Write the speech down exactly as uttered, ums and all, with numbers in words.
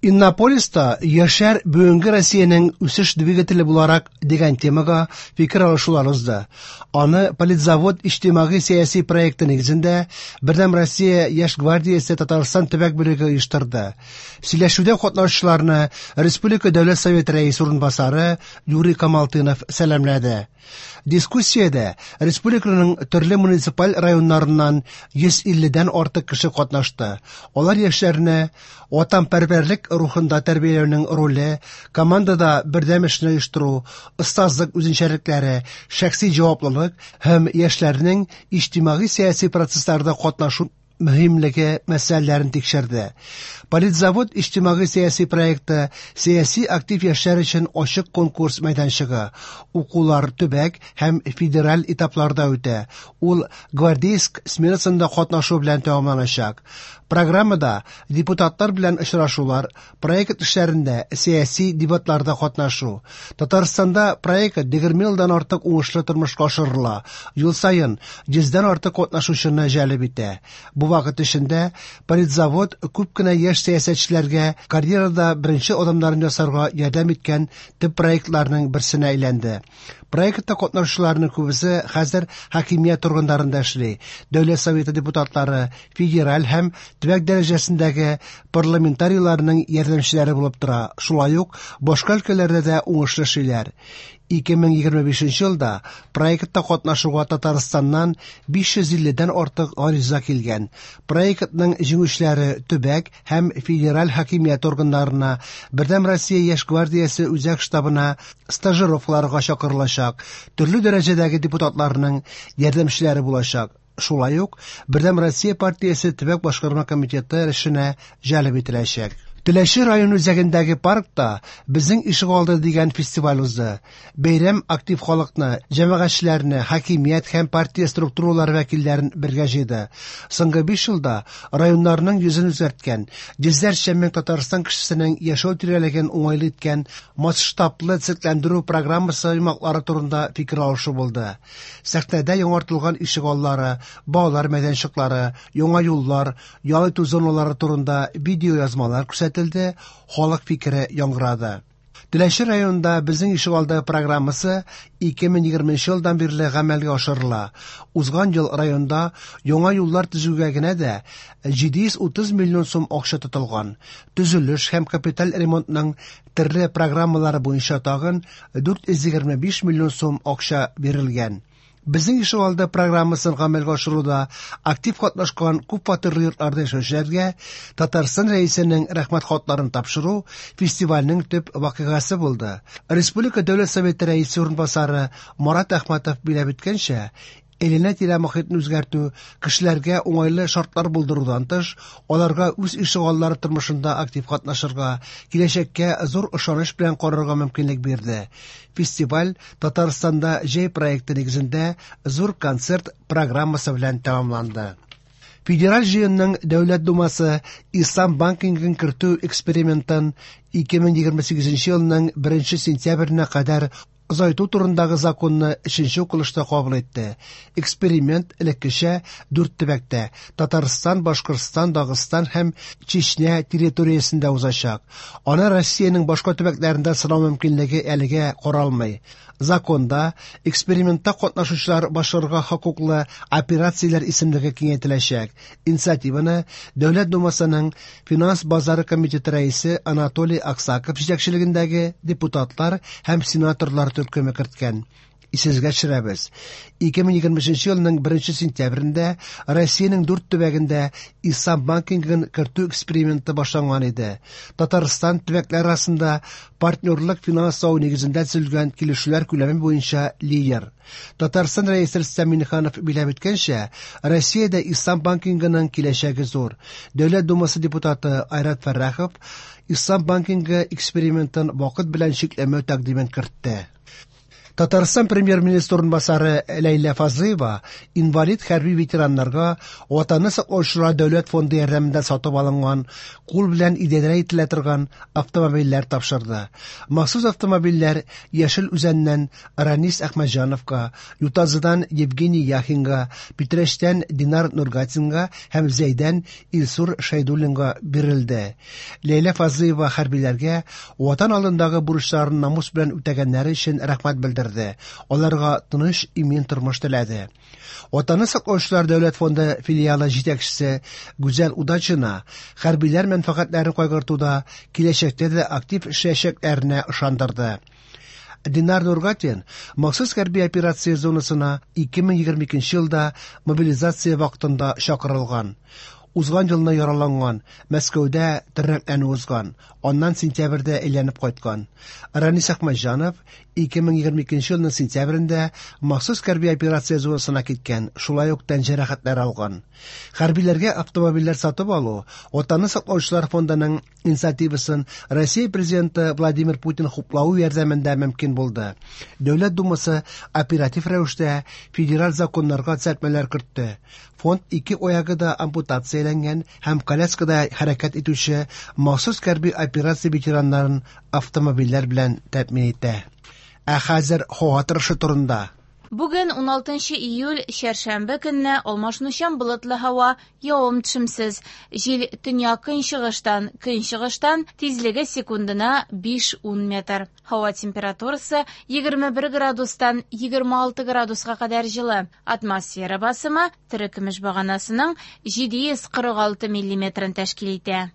Иннополиста «Яшьләр бүгенге Россиянең үсеш двигателе буларак» дигән темага фикер алышулар узды. Аны Политзавод иҗтимагый-сәяси проекты нигезендә Бердәм Россия Яшь гвардиясе Татарстан төбәк бүлеге оештырды. Сөйләшүдә катнашучыларны Республика Дәүләт Советы рәисе урынбасары Юрий Камалтынов сәламләде. Дискуссиядә республиканың төрле муниципаль районнарыннан йөз илледән артык кеше катнашты. Алар яшьләрне ватанпәрвәрлек рухында тәрбияләүнең роле, командада бердәм эшне оештыру, остазлык үзенчәлекләре, шәхси җаваплылык һәм яшьләрнең иҗтимагый-сәяси процессларда катнашу мөһимлеге мәсьәләләрен тикшерде. Политзавод иҗтимагый-сәяси проекты сәяси актив яшьләр өчен ачык конкурс мәйданчыгы. Укулар төбәк һәм федераль этапларда үтә. Ул Гвардейск сменасында катнашу белән тәмамланачак. Программада депутатлар белән очрашулар, проект эшләрендә сәяси дебатларда катнашу. Татарстанда проект егерме елдан артык уңышлы тормышка ашырыла. Ел саен йөздән артык катнашучыны җәлеп итә. Бу вакыт эчендә Политзавод күп кенә яшь сәясәтчеләргә карьерада беренче адымнарын ясарга ярдәм иткән төп проектларның берсенә әйләнде. Проектта катнашучыларның күбесе хәзер хакимият органнарында эшли. Дәүләт Советы депутатлары, федераль һәм төбәк дәрәҗәсендәге парламентарийларның ярдәмчеләре булып тора. Шулай ук башка өлкәләрдә дә уңышлы эшлиләр. ике мең егерме бишенче елда проектта катнашуга Татарстаннан биш йөз илледән артык гариза килгән. Проектның җиңүчеләре төбәк һәм федераль хакимият органнарына, Бердәм Россия Яшь гвардиясе үзәк штабына стажировкаларга чакырылачак, төрле дәрәҗәдәге депутатларның ярдәмчеләре булачак. Шулай ук Бердәм Россия партиясе төбәк башкарма комитеты эшенә җәлеп ителәчәк. Теләче район үзәгендәге паркта «Безнең ишегалды» дигән фестиваль узды. Бәйрәм актив халыкны, җәмәгатьчеләрне, хакимият һәм партия структуралары вәкилләрен бергә җыйды. Соңгы биш елда районнарның йөзен үзгәрткән, йөзләрчә мең Татарстан кешесенең яшәү тирәлеген уңайлы иткән масштаблы төзекләндерү программасы йомгаклары турында фикер алышу булды. Сәхнәдә яңартылган ишегаллары, балалар мәйданчыклары, яңа юллар, ял итү зоналары турында видеоязмалар күрсәтелде, халык фикере яңгырады. Теләче районында «Безнең ишегалды» программасы ике мең егерменче елдан бирле гамәлгә ашырыла. Узган ел районда яңа юллар төзүгә генә дә җиде йөз утыз миллион сум акча тотылган. Төзелеш һәм капиталь ремонтның төрле программалары буенча тагын дүрт йөз егерме биш миллион сум акча бирелгән. Безнең ишегалды программасын гамәлгә ашыруда актив катнашкан күп фатирлы йортларда яшәүчеләргә Татарстан Рәисенең рәхмәт хатларын тапшыру фестивальнең төп вакыйгасы булды. Республика Дәүләт Советы рәисе урынбасары Марат Әхмәтов биләп үткәнчә, әйләнә-тирә мохитне үзгәртү, кешеләргә уңайлы шартлар булдырудан тыш, аларга үз ишегаллары тормышында актив катнашырга, киләчәккә зур ышаныч белән карарга мөмкинлек бирде. Фестиваль Татарстанда җәй проекты нигезендә зур концерт программасы белән тәмамланды. Федераль җыенның Дәүләт Думасы Ислам банкингын кертү экспериментын ике мең егерме сигезенче елның беренче сентябренә кадәр озайту турындагы законны өченче укылышта кабул итте. Эксперимент элеккечә дүрт төбәктә Татарстан, Башкортстан, Дагыстан һәм Чечня территориясендә узачак. Аны Россиянең башка төбәкләрендә сынау мөмкинлеге әлегә каралмый. Законда экспериментта катнашучылар башкарырга хокуклы операцияләр исемлеге киңәйтеләчәк. Инициативаны Дәүләт Думасының Финанс базары комитеты рәисе Анатолий Аксаков җитәкчелегендәге депутатлар һәм сенаторлар төркеме керткән. Исегезгә төшерәбез. ике мең егерме өченче елның беренче сентябрендә Россиянең дүрт төбәгендә Ислам банкингын кертү эксперименты башланган иде. Татарстан төбәкләр арасында партнерлык финанслау нигезендә төзелгән килешүләр күләме буенча лидер. Татарстан Рәисе Рөстәм Миңнеханов биләп үткәнчә, Россиядә Ислам банкингының киләчәге зур. Дәүләт Думасы депутаты Айрат Фәррахов Ислам банкингы экспериментын вакыт белән чикләмәү тәкъдимен кертте. Татарстан премьер-министры урынбасары Ләйлә Фазлыева инвалид хәрби ветераннарга Ватанны саклаучылар дәүләт фонды ярдәмендә сатып алынган кул белән идарә ителә торган автомобильләр тапшырды. Махсус автомобильләр Яшел Үзәннән Ранис Әхмәтҗановка, Ютазыдан Евгений Яхинга, Питрәчтән Динар Нургатинга һәм Зәйдән Илсур Шәйдуллинга бирелде. Ләйлә Фазлыева хәрбиләргә Ватан алдындагы бурычларын намус белән үтәгәннәре өчен рәхмәт белдерде. Аларга тыныч, имин тормыш теләде. Ватанны саклаучылар дәүләт фонды филиалы җитәкчесе Гүзәл Удачина хәрбиләр мәнфәгатьләрен кайгыртуда киләчәктә дә актив эшләячәкләренә ышандырды. Динар Нургатин махсус хәрби операция зонасына ике мең егерме икенче елда мобилизация вакытында чакырылган. Узган елны яраланган, Мәскәүдә тернәкләнү узган, аннан сентябрьдә әйләнеп кайткан. Ранис Әхмәтҗанов ике мең егерме икенче елның сентябрендә махсус хәрби операция зонасына киткән, шулай ук тән җәрәхәтләре алган. Хәрбиләргә автомобильләр сатып алу Ватанны саклаучылар фондының инициативасын Россия президенты Владимир Путин хуплавы ярдәмендә мөмкин булды. Дәүләт Думасы оператив рәвештә федераль законнарга төзәтмәләр кертте. Фонд ике аягы да ампутацияләнгән һәм коляскада хәрәкәт итүче махсус хәрби операция ветераннарын автомобильләр белән тәэмин итә. Ә хәзер һава торышы турында. Бүген уналтынчы июль, чәршәмбе көнне алмашынучан болытлы һава, явым-төшемсез. Җил төньяк көнчыгыштан, көнчыгыштан, тизлеге секундына биш-ун метр. Һава температурасы егерме бер градустан егерме алты градуска кадәр җылы. Атмосфера басымы терекөмеш баганасының җиде йөз кырык алты миллиметрын тәшкил итә.